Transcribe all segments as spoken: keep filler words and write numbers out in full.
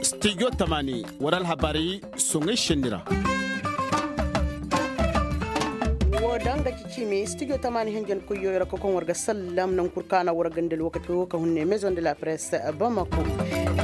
Stijo tamani wara alhabaari soŋay šenni ra. Wo da nga ci ciimi stijo tamani henjen koyyo ra ka koŋ war ga sallam naŋ kul kaana war ganda alwakati wo ka hunne maison de la presse bamako.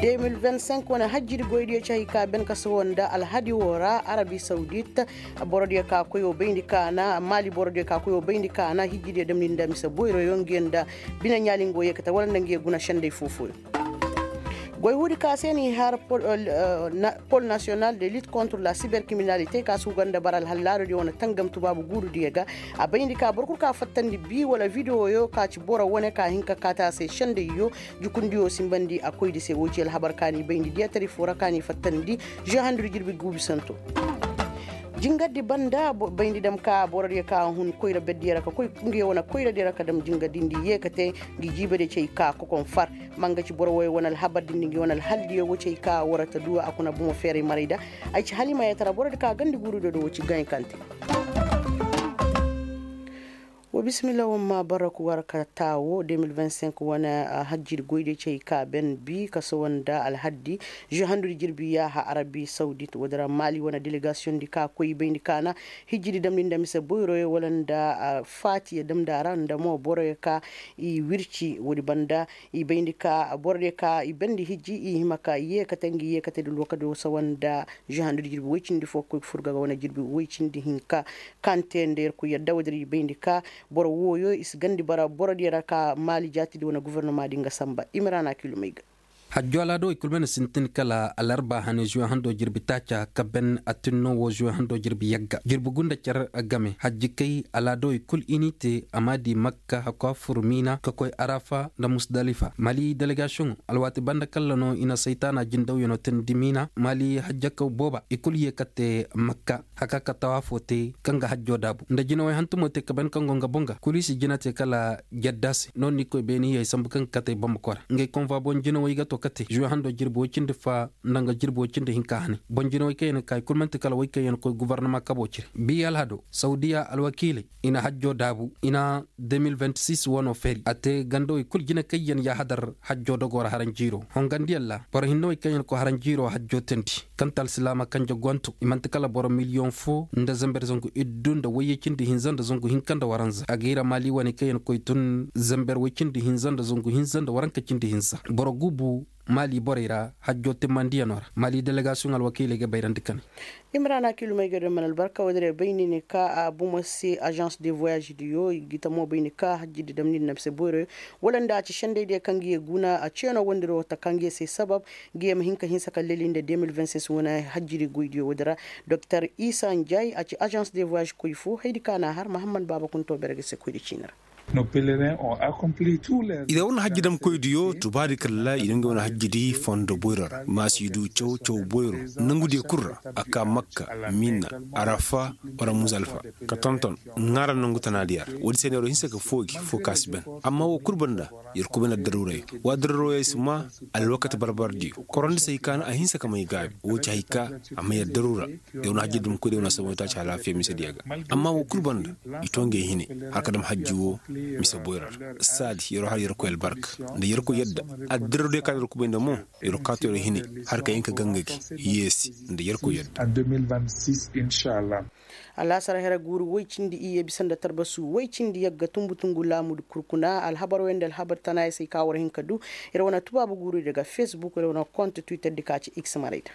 Deux mille vingt-cinq wane hajjidi goydiyo ci hay ka ben ka sohõ nda alhadi wo ra arabi saudit. Borodiyo ka koyo bayndi kaana maali borodiyo ka koyo bayndi kaana hijjidiyo damni nda mise boyroyo nga yaŋ nda bine ɲaali nga wo yeekate wala nda nga ye guna sendey foo-fooyo. Goy huudi ka se n'i har pol nasiyonal de lit kontre la siberkriminalite ka si huga nda bara alhallaarodiyo wane tangam tubaabu guurudiyo ga. A bayndi ka boro kul ka fattandi bi wala videwoyo ka ci boro wane ka hin ka kaati a se sendeyyo. Jukundiyo simbandi a koydi se wo ci alhabar ka n'i bayndi diyatari foo ra ka n'i fattandi. Zuwe handudi jirbi guubi santo. Jingardi banda bayndi dam ka borodiyo ka hun koyra berdiyo ra ka koy nga ye wane koyradiyo ra ka dam jingardi nda i ye ka te. Ngi jiibadiyo cay ka kokon far. Ma nga ci boro woy wane alhabar din nda ngi wane alhaldiyo wo cay ka war ta du a kuna bomo feeray maray da. Ay ci halimayatara borodi ka gandi guurudiyo do wo ci gaɲ kante. Wa bisimilla wan ma bara ku war ka taawo deux mille vingt-cinq wane hajjidi goydiyo cay ka ben bi ka sohõ nda alhaddi. Zuwe handudi jirbi yaaha arabi saudit woodi ra maali wane delegasiyoŋ di ka koy bayndi kaana. Hijjidi damndi nda mise boyroyo wala nda faatiyo damndi a ra nda mo boroyo ka i wirci woodi banda. I bayndi ka borodiyo ka i bendi hijji i hima ka i yeekate ngi yeekate da lookadiyo sawa nda. Zuwe handudi jirbi woy cindi fo ka koy ga fur ga ga wane jirbi woy cindi hinka. Kaŋ te nda yerkoy yadda woodi ra i bayndi ka boro wooyo i si gandi bara borodiyo ra ka maali jaatidi wane gofornoma di nga sanba imiraana kilomey ga. Hajjo alaadawey kul mana sintin kala alarba hane zuwe hando jirbi taaca ka ben atinno wo zuwe hando jirbi yagga jirbi gunda car game hajjikey alaadawey kul i n'i te a m'a di makka hakwa fur miina ka koy arafa nda musdalifa mali delegasiyoŋo alwaati banda kalla no i na saytaana jindawyano teendi miina mali hajjakaw booba i kul ye ka te makka haka ka tawaafo te kaŋ ga hajjo daabu nda jinawey hantumo te ka ben kaŋ go nga boŋ ga kul i si jina te kala jadda se no n'i koy beeni hiyey sambu kaŋ ga katey bamako ra ngey konva boŋ jinawey ga to kate zuwe hando jirbi woy cindi fa nda nga jirbi woy cindi hinka hane boŋ jinawey kaŋ yaŋ ga ka i kul man'ti kala wey kaŋ yaŋ ga koy gofornoma kabo cire bi alhado sawdiya alwakiiley i na hajjo daabu i na deux mille vingt-six wano feeri a te gandawey kul jina kaŋ yaŋ yaahadar hajjo dogoo ra haranjiiro hongandiyaŋ ra boro hinnawey kaŋ yaŋ ga koy haranjiiro hajjo teendi kaŋ ti alsilaama kanje gonto i man'ti kala boro miliyoŋ fo nda zamber zangu iddu nda wayye cindi hinza nda zangu hinka nda waranza a ga i ra maali wane kaŋ yaŋ ga koy tun zamber way cindi hinza nda zangu hinza nda waranka cindi hinza boro guubu maali borey ra hajjo timmandiyanoo ra maali delegasiyoŋ alwakiiley ga bayrandi ka ne. Imrana kilomey ga do mana albarka woodin ra bay ni ne ka a bomo se agence de voyage diyo i ga tamo bay ni ka hajjidi damni nda mise boyroyo wala nda a ci sendey diyo kaŋ ga ye guna a ceeno wondi ra wata kaŋ ga ye se sabab ga ye ma hin ka hinsa ka leli nda deux mille vingt-six wane hajjidi goy diyo woodin ra. Doktor isa njay a ci agence de voyage koy fo haydi ka na har mahammad baaba kunto bere ga se koydi ciini ra. Ire wane hajji damkoydiyo tubaadi kalla i na ngey wane hajjidi fondo boyro ra ma si du caw caw boyro nangudiyo kul ra a ka makka minna arafa wala muzalfa ka tonton ŋaara nangu tanaadiya ra woodi se neero hinsa ka foogi fo ka si ben amma wo kul banda yer kubay na daruuray wa daruuray si ma alwakati barbardiyo korondisey ka na a hinsa ka may gaabi wo ci hay ka a ma yer daruura. Yer wane hajji damkoydiyo wane samay taaci halaafiya misediya ga amma wo kul banda i to ngey hine har ka dam hajji wo mise boyra ra saadi yer har yerkoy albarka nda yerkoy yadda addirodiyo ka na yer kubay nda mo yer kaatu yer hine har ka hin ka ganga gi yeesi nda yerkoy yadda. Alaasar here guuru woy cindi iyye bisa nda tarbasu woy cindi yagga tumbu tungu laamu kurkuna alhabar wey nda alhabar tanaayey se ka war hin ka du. Yer wane tubaabu guuru daga facebook yer wane kont twitter di ka ci x maray da.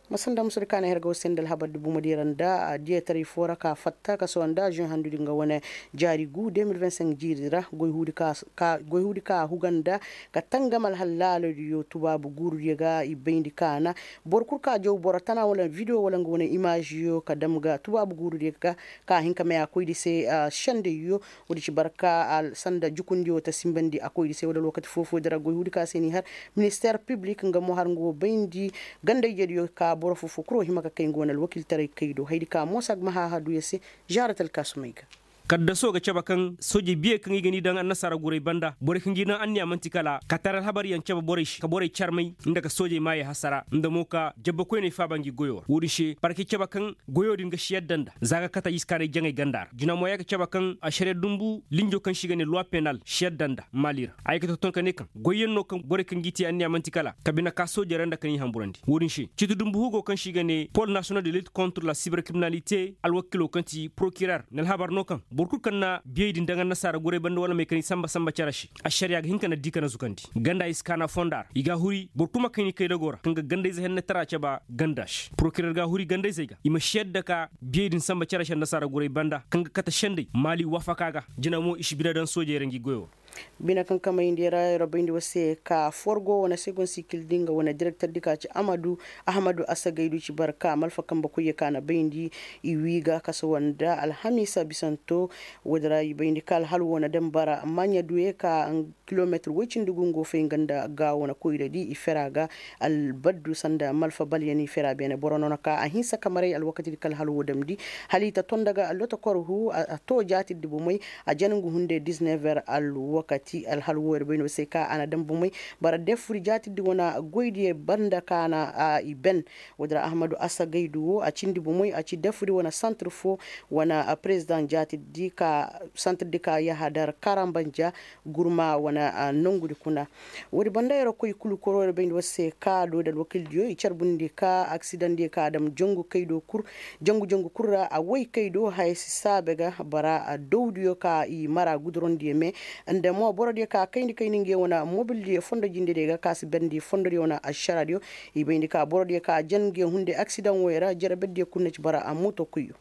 Masanda musu di kaana her ga war se nda alhabar di bumadiyo ra nda diyataray fo ra ka fatta ka sohõ nda aziyoŋ handu di nga wane jaari gu deux mille vingt-cinq jiiri ra goy huudi ka huga nda ka tangam alhallaalodiyo tubaabu guurudiyo ga i bayndi kaana. Boro kul ka jaw boro tana wala video wala nga wane imaaziyo ka dam ga tubaabu guurudiyo ga ka hin ka may a koydi se. Sendayyo woodi ci barka sanda jukundiyo ta simbandi a koydi se wala lookati foo-foo di ra goy huudi ka se n'i har ministeer piblik nga mo har nga wo bayndi ganda-ijediyo ka boro foo-foo kul wo hima ka kay nga wane alwakiiltaray kay do haydi ka mo sagma haahaduyo se. Zaarat alkaasumey ga. Kaddaso ga cabe kaŋ soojey biyey kaŋ i ga ni daŋ annasaara guray banda borey kaŋ g'i daŋ anniya man'ti kala ka tara alhabaryaŋ cabe borey se ka borey carmay nda ka soojey maayey hasara nda mo ka jabba koyney faaba ngi goyo ra wo-din se parke cabe kaŋ goyo din ga si yadda nda za ga kate i si kaanay jaŋay ganda ra jina mo ya ga cabe kaŋ ašariya dunbu linjo kaŋ se i ga ne luwa penal si yadda nda maali ra a ye ga tonton ka ne kaŋ goyyaŋ no kaŋ borey kaŋ g'i te anniya man'ti kala ka bine ka soojey ra nda ka n'i hamburandi wo-din se ciiti dunbu hugo kaŋ se i ga ne pol nasiyonal de lit kontre la siberkriminalite alwakilo kaŋ ti porokirer na alhabar no kaŋ boro kulu kaŋ na biyey din daŋ annasaara guray banda wala may kaŋ i samba samba cere se ašariya ga hin ka na di ka na zukandi ganda i si kaana fonda ra i ga a huri boro kulu ma kayni kaydago ra kaŋ ga gandayze hennetara cabe ganda se porokirer ga a huri gandayzey ga i ma si yadda ka biyey din samba cere se annasaara guray banda kaŋ ga kate sendey maali wafaka ga jina mo i si bine daŋ soojey ra ngi goyo ra bine kaŋ kamayndi ra yer bayndi war se ka forgo wane segon sikil di nga wane direkter di ka ci ahmadu ahmadu asagaydu ci bar ka malfa kambe koyye ka na bayndi i wi ga kasa wanda alhamiisa bisanto woodi ra i bayndi ka alhalu wane dam bara maɲa duye ka kilometir woy cindi gungo fay nga nda ga wane koyra di i fera ga albaddu sanda malfa balyan i fera beene boro no na ka a hinsa ka maray alwakati di ka alhalu wo damndi hala i ta tonda ga allota kor hu a to jaatir di bomey a jan ngu hunde disnever alwakati alhal wo yer bay no se ka a na daŋ bomey bara defuri jaatirdi wane goydiyo banda ka na i ben woodin ra ahmadu asagaydu wo a cindi bomey a ci defuri wane santir fo wane prezidaŋ jaatirdi ka santirdi ka yahadar karambanja gurma wane nongudi kuna woodi banda yer koy kulu koro yer bayndi war se ka doodi alwakildiyo i carbundi ka aksidaŋdiyo ka a daŋ jangu kaydo kul jangu jangu kul ra a woy kay do haya si saabe ga bara dawdiyo ka i mara gudurondiyo me nda mo borodiyo ka kayndi kayndi nge wane mobildiyo fondo jindediyo ga ka si berndi fondodiyo wane ašaradiyo i bayndi ka borodiyo ka jan nge hunde aksidaŋ woy ra jere berdiyo kul na ci bara a moto kuyyo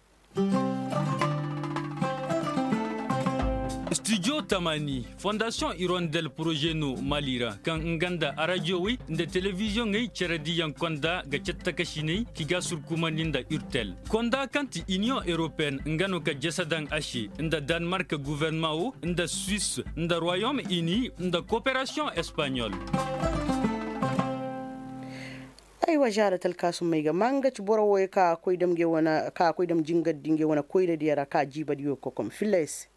studio tamani fondasiyoŋ irondel poroze no mali ra kaŋ nga nda arajiyowey nda telebiziyoŋey cere diyaŋ konda ga cattakasiney ki ga surkumandi nda urtel konda kaŋ ti iniyoŋ europeen nga no ka jese daŋ a se nda danmark guvernamaa wo nda suwis nda royom ini nda koperasiyoŋ espaɲol aywa zaara talkaasumey ga maa nga ci boro wooyo ka a koy dam jingardi ngey wane koyradiyo ra ka jiibadiyo kokom filla yer se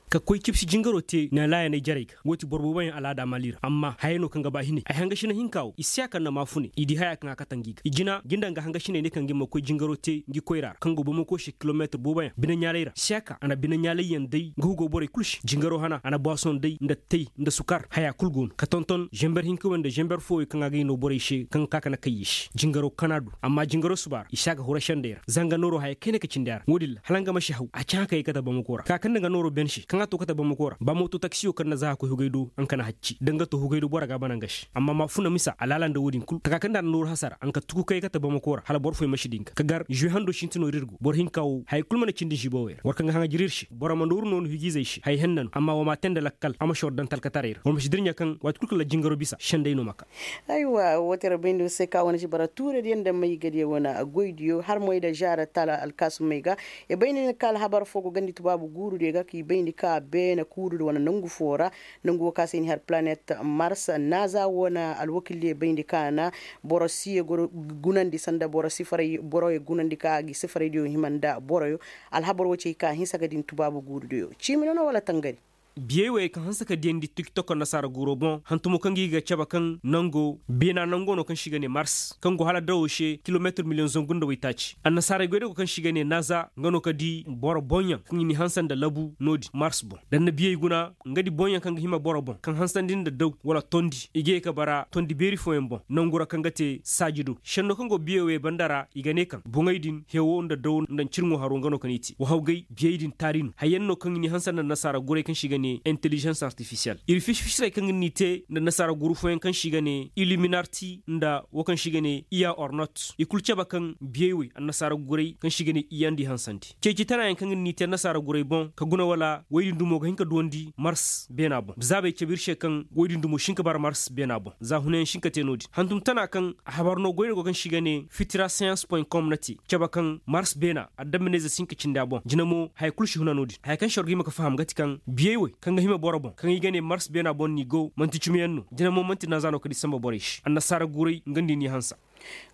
ka koy cibsi jingaroo tee neelaayaney jarey ga woo ti boro booboyaŋ alaada mali ra amma hayey no kaŋ ga ba hinay ay hangasiney hinkaa woo i si a kaŋ na maafuney i di hayaa kaŋ a kate ngi ga i jina ngi nda nga hangasiney ne kaŋ ngi ma koy jingaroo tee ngi koyraa ra kaŋ go bamakoo se kilomeetir booboyaŋ bineɲaalay ra si a ka a na bineɲaalayyaŋ day nga hugoo borey kul se jingaroo hana a na baasoŋ day nda tay nda sukar hayaa kul go no ka tonton zember hinka wey nda zember foo wey kaŋ a gay noo borey se kaŋ ga ka ka na kay i se jingaroo kana du amma jingaroo suba ra i si a ga hura sendey ra zanga nooroo haya kayna ka cindi a ra woo din ra hala nga ma si haw a cahã ka yee kate bamakoo ra ka kaŋ nda nga nooroo ben se kaŋ a too kate bamakoo ra ba moto taksiyo kaŋ na za ka koy hugay do nga ka na hacci da nga too hugay do bora ga a bana nga se amma ma funa misa alaala nda woo din kul taka kaŋ nda a na nooru hasara nga ka tuku ka yee kate bamakoo ra hala boro fooyaŋ ma si di nga ka gar žuwe handoo sintinoo ra ir go boro hinka woo haya kul mana cindi žibowey ra war kaŋ ga haŋa jir ir se boro ma nooru noonu hijiizey se haya henna no amma wa ma tee nda lakkal a ma si war daŋ talkataray ra war ma si dirɲa kaŋ waati kul kaŋ ra jingaroo bisa sendey no ma ka aywa woo ti ra bayndi war se ka wane si bara tuuradiyo nda maygadiyo wane goydiyo har moy nda žaara tala alkaasumey ga i bay ni ni ka alhabar foo go gandi tubaabu guurudiyo ga ka i bayndi ka beene kuurudiyo wane nongu foo ra nongu woo ka se i ni har palanet mars naaza wane alwakildiyo bayndi ka na boro siye gunandi sanda boro sifaray boroyo gunandi ka a gi sifaraydiyo hima nda boroyo alhabar woo ci ay ka hinsa ga din tubaabu guurudiyo ciimi no no wala tangari biyey wey kaŋ hanse ka diyandi tiktok annasaara guuroo boŋ hantumo kaŋ gi ga cabe kaŋ nango beena nango no kaŋ se i ga ne mars kaŋ go hala dawoo se kilomeetir miliyoŋ zangu nda waytaaci annasaarey goydago kaŋ se i ga ne naaza nga no ka di boro boŋyaŋ kaŋ i n'i hanse nda labu no-din mars boŋ da ni na biyey guna nga di boŋyaŋ kaŋ ga hima boro boŋ kaŋ hansandi nda daw wala tondi i ga ye ka bara tondi beeri fooyaŋ boŋ nangu ra kaŋ ga te saaji do senno kaŋ go biyey wey banda ra i ga ne kaŋ boŋey din hewo nda daw nda ncirŋo haro nga no kaŋ i te wahawgay biyey din taari no hayyaŋ no kaŋ i n'i hanse nda nasaara guray kaŋ se i ga ne intelijens artifisiyel ir fisi-fisirey kaŋ ir n'i te nda nasaara guru fooyaŋ kaŋ se i ga ne iliminarti nda woo kaŋ se i ga ne iya ornot i kul cabe kaŋ biyey wey annasaara guray kaŋ se i ga ne iyandi hansandi ceeci tanaayaŋ kaŋ ir n'i te annasaara guray boŋ ka guna wala woy din dumo ga hin ka duwandi mars beena boŋ zaabey cabe ir se kaŋ woy din dumo si hin ka bara mars beena boŋ za hunayaŋ si hin ka te no-din hantum tana kaŋ a habar no goyne go kaŋ se i ga ne fitira science point com na te cabe kaŋ mars beena adamminayze si hin ka cindi a boŋ jina mo haya kul si huna no-din haya kaŋ se war ga hima ka faham ga ti kaŋ biyey wey kaŋ ga hima boro boŋ kaŋ i ga ne mars beena boŋ no i go man'ti cumiyaŋ no jina mo man'ti naaza no ka di samba borey se annasaara guray nga nda i n'i hanse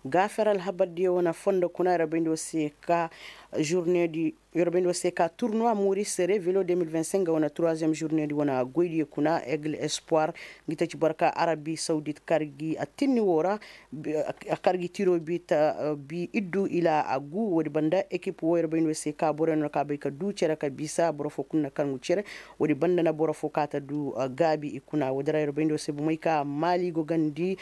gaafer alhabardiyo wane fondo kuna ra bayndi war se ka Journée di yorobey nda war se ka turnuwa moris revelo deux mille vingt-cinq nga wane troisième journée di wane goydiyo kuna aigle espoir. Ngi ta ci boro ka arabi saudit kar gi attinni woo ra. A kar gi tiro bi ta bi iddu ila agu woodi banda ekip woo yorobey nda war se ka boroyo no ka bay ka duu cere ka bisa boro foo kul na kar ngu cere. Woodi banda na boro foo ka ta duu gaabi i kuna woodi ra yorobey nda war se bomey ka maali go gandi.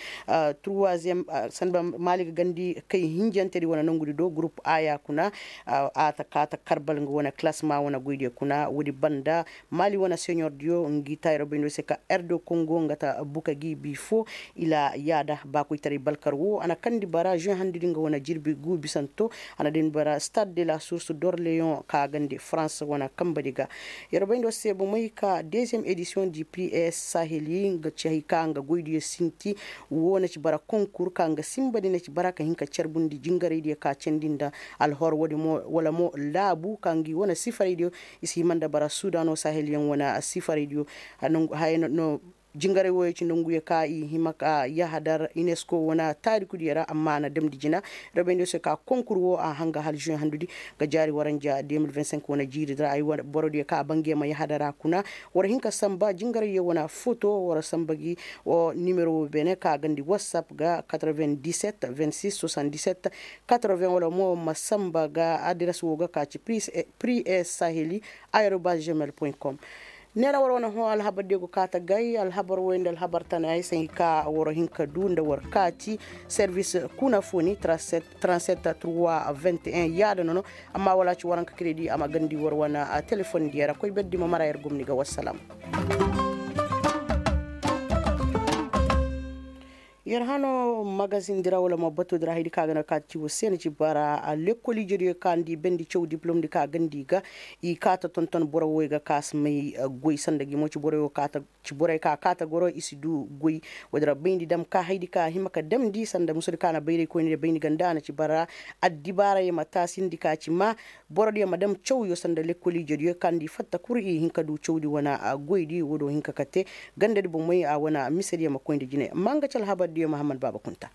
Troisième sanda maali ga gandi kay hinjante di wane nongudi do gurup a ya kuna. A ta ka ta karbal nga wane kalasma wane goydiyo kuna woodi banda maali wane seɲor diyo ngi ta yorobey nda war se ka erdo kongo nga ta buka gi bi foo. Ila yaada baakoytaray balkar woo a na kandi bara žuwe handudi nga wane jirbi guu bisanto. A na dami bara stade de la source d'orleon ka gandi farans wane kamba di ga. Yeroo bay nda war se bomey ka deziyeem edisiyoŋ di pri es saheli nga ci hay ka nga goydiyo sinti. Woo na ci bara konkur ka nga sinba di na ci bara ka hin ka carbundi jingaraydiyo ka candi nda alhor woodi mo wala mo laabu ka ngi wane sifaraydiyo. I si hima nda bara sudanoo saheliyaŋ wane sifaraydiyo. Haya no jingaray wooyo ci nonguyo ka i hima ka yahadar inesko wane taarikudiyo ra amma a na damndi jina. Robayndi se ka konkur woo a hanga hala žuwe handudi ga jaari waranja deux mille vingt-cinq wane jiiri di ra ay wane borodiyo ka a bangey ma yahadar a kuna. War hin ka samba jingarayyo wane foto war samba gi. Woo nimero woo beene ka a gandi whatsapp ga quatre-vingt-dix-sept vingt-six soixante-dix-sept quatre-vingts wala mo ma samba ga adiras woo ga ka ci pri es saheli aerobas gmail point com. Neera war wane hõ alhabar diyo go kaa ta gay alhabar woy nda alhabar tana ay se ngi ka war hin ka duu nda war kaati. Servis kuna foo ni trente-sept trois vingt et un yaada nono. Amma wala ci waranka kredi a ma gandi war wane telefon diyo ra koy berdi ma mara yer gomni ga wassalam. Yer hano magazin di ra wala ma batu di ra haydi ka ga na kaati ci war se na ci bara lekkol ijediyo ka nda i bendi caw diplom di ka gandi ga. I kaata tonton boro woy ga ka si may goy sanda gi mo ci boro yo kaata ci boro yo ka kaata goro i si du goy. Woodi ra bayndi dam ka haydi ka hima ka damndi sanda musudi ka na bayray koyni di bayndi ganda a na ci bara addibaara yo ma taasindi ka ci ma. Borodiyo ma dam cawyo sanda lekkol ijediyo ka nda i fatta kul i hin ka du cawdi wane goydi woodi wo hin ka kate gandadi bomey a wane misediyo ma koy nda jine manga ci alhabardiyo mahammad baaba kunta.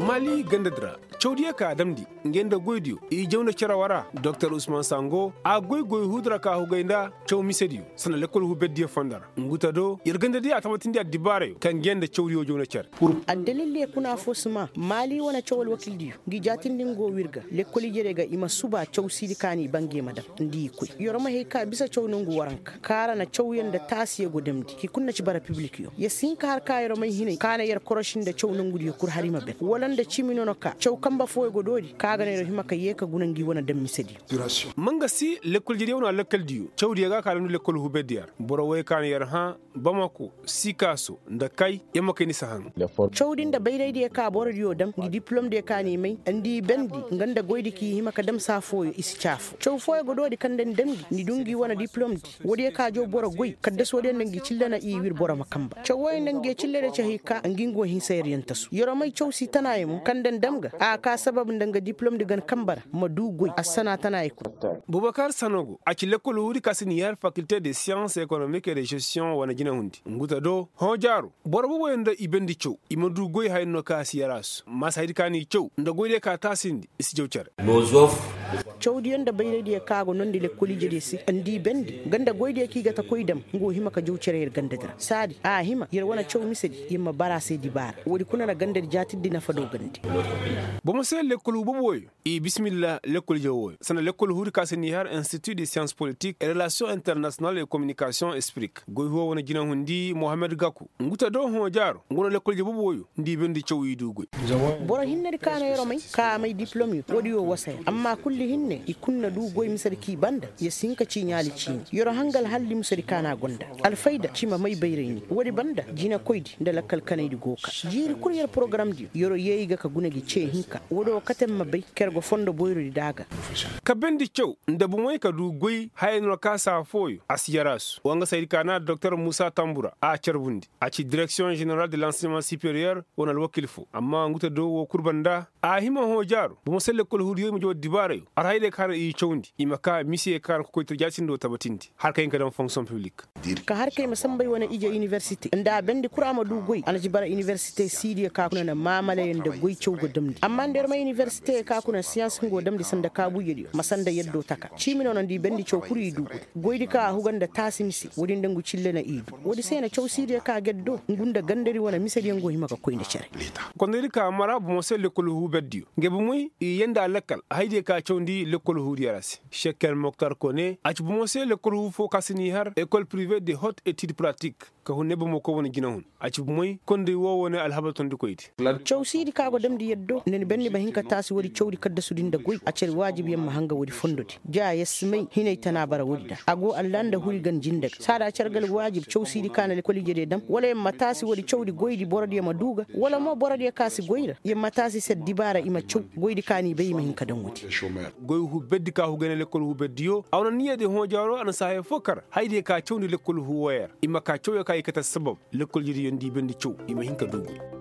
Mali gandadi ra cawdiyo ka a damndi ngey nda goydiyo i jaw nda cere wara doktor usman sango a goy goy huudi ra ka hugay nda caw misediyo sanda lekkol huberdiyo fondo ra. Ngu ta do yer gandadiyo a tabatindi addibaarayo kaŋ ngey nda cawdiyo jaw nda cere. Addalildiyo kuna foo si maa maali wane caw alwakildiyo ngi jaatindi ngo wir ga lekkol ijediyo ga i ma suba caw siidi kaani bangey ma dam nda i koy yer ma hay ka bisa caw nongu waranka kaara na cawyaŋ nda taasiyo go damndi hi kul na ci bara pibilikyo yer si hin ka har ka yer may hinay ka na yer koroši nda caw nongudiyo kul har i ma ben wala nda cimi nono ka caw kamba fooyo go doori ka ga na yer hima ka yee ka guna ngi wane dam misediyo. Ma nga si lekkol jediyo wane a lekkoldiyo cawdiyo ga ka damndi lekkol huberdiyo ra boro woy ka na yer hã bamako sikaaso nda kay yer ma kay ni si haŋ. Cawdi nda bayraydiyo ka borodiyo dam ngi diplomdiyo ka n'i may nda i bendi nga nda goydi k'i hima ka dam saa fooyo i si caafo caw fooyo go doori kaŋ nda ni dam ngi ni du ngi wane diplomdi woodiyo ka jaw boro goy kaddasoodiyo nda ngi cille na i wir boro ma kamba caw wooyo nda ngi cillediyo ci hay ka ngi ngu hinsa yer yantasu yeroo may caw si tanaayo mo kaŋ nda ni dam ga a kaa sabab nda nga diplomdi gan kamba ra ma du goy assana tanaayo kul. Bubakar sanogo a ci lekkol huudi ka si ni har fakilte de science économique et de gestion wane jinahundi ngu ta do hõ jaaro boro boboyo nda i bendi caw i ma du goy haya no ka si yaraasu maasa haydi ka n'i caw nda goydiyo ka taasindi i si jaw cere. Cawdiyo nda bayraydiyo ka go nondi lekkol ijediyo se nda i bendi nga nda goydiyo kaŋ i ga ta koy dam nga wo hima ka jaw cere yer gandadi ra saadi a hima yer wane caw misedi yer ma bara a se dibaara woodi kuna na gandadi jaatindi nafa do gande. Bomo se lekkol huuba boboyo i bisimilla lekkol jaw wooyo sanda lekkol huudi ka se ni har institut de science politique et relation international et communication esprik goy huuwa wane jinahundi mohammed gaku ngu ta do hõ jaaro ngu na lekkol jaw boboyo nda i bendi caw i du goy. Boro hinnedi ka na yeroo may ka a may diplom yo woodi yo wasa yer amma kulli hinne i kul na du goy misedi k'i banda yer si hin ka ciiɲaali ciini yeroo hangal halli misedi ka na a gonda alfayda ci ma may bayray ni woodi banda jinekoydi nda lakkal kanaydi go ka jiiri kul yer porogaramdiyo yeroo yee i ga ka guna gi cee hinka woodi wo kate ma bay ka yer go fondo boyrodi da a ga. Ka bendi caw nda bomey ka du goy haya no ra ka saa fooyo a si yaraasu wa nga saydi ka na doktor muusa tambura a carbundi a ci direksiyoŋ ženeral de lansiyema superiyer wane alwakil foo amma ngu ta do woo kul banda a hima hõ jaaro bomo se lekkol huudiyo i ma jaw addibaarayo. Ka har i cawndi i ma ka mise ka har kokoytir jaatindoo tabatindi har ka hin ka daŋ fonksiyoŋ piblik. Ka har kay ma sambay wane ije inibersite nda a bendi kura ma du goy a na ci bara inibersite siidiyo ka kuna na maamalayaŋ nda goy caw ga damndi amma nda yer may inibersite ka kuna siyans hungo damndi sanda kaabuujediyo ma sanda yaddo taka ciimi no na nda i bendi caw kul i du goy. Goydi ka a huga nda taasi mise woodi nda ngu cille na i du. Woodi se na caw siidiyo ka ga yaddo ngu nda gandadi wane misediyo ngu hima ga koy nda cere. Kondaydi ka mara bomo se lekkol huu berdiyo ngey bomoy i yee nda a lakkal haydiyo ka cawndi lekkol huudiyo ra se. Sekker moktar kone a ci bomo se lekkol huu foo ka si n'i har ekol pirive de hot etid pratik. Ka hun ne bomo koy wane jinahun a ci bomoy konday woo wane alhabar tondikoydi. Caw siidi ka go damndi yaddo nda ni benni ma hin ka taasi woodi cawdi kaddasudi nda goy a cere waajibyaŋ ma hanga woodi fondodi ja yer si may hinay tana bara woodi da a go allah nda huri gan jinde ga saada cargal waajib caw siidi ka na lekkol ijediyo dam wala yer ma taasi woodi cawdi goydi borodiyo ma duu ga wala mo borodiyo ka si goy ra yer ma taasi se dibaara i ma caw. Goydi ka n'i bay i ma hin ka daŋ woodi. Goy huu berdi ka huu gay nda lekkol huu berdiyo a wane niyyadiyo hõ jaaro a na si haya foo kar haydiyo ka cawndi lekkol huu wooyo ra i ma ka cawyo ka i kate assabab. Lekkol ijediyo nda i bendi caw i ma hin ka duu ga.